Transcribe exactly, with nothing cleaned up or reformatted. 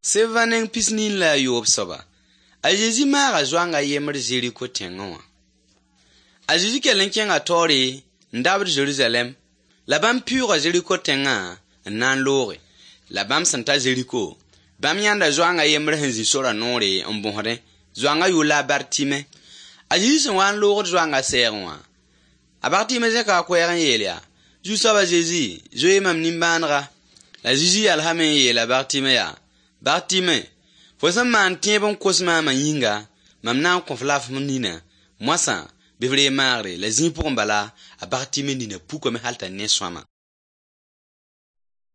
Sevanen pisnin la yob soba. A Jésus mara zoanga yemr Jericho tengawa. A Jésus kelen kenga tori ndabr Jerusalem. La bam pure Jericho tenga nan lore. La bam santa Jericho. Bam yanda zoanga yemr henzi sora nore mbonre. Zoanga yula Bartime. A Jésus wan lore zoanga serwa. A Bartime zeka kweren yelia. Ju soba Jésus, zoe mam nimbanra. La Jésus alhamen yela Bartime ya. Bartime, fo san man tiebon kosma ma yinga, mam na konflaf munina. Moi sa, bevre magre, la zin pour mbala, a Bartime nina pou comme halta ne swama.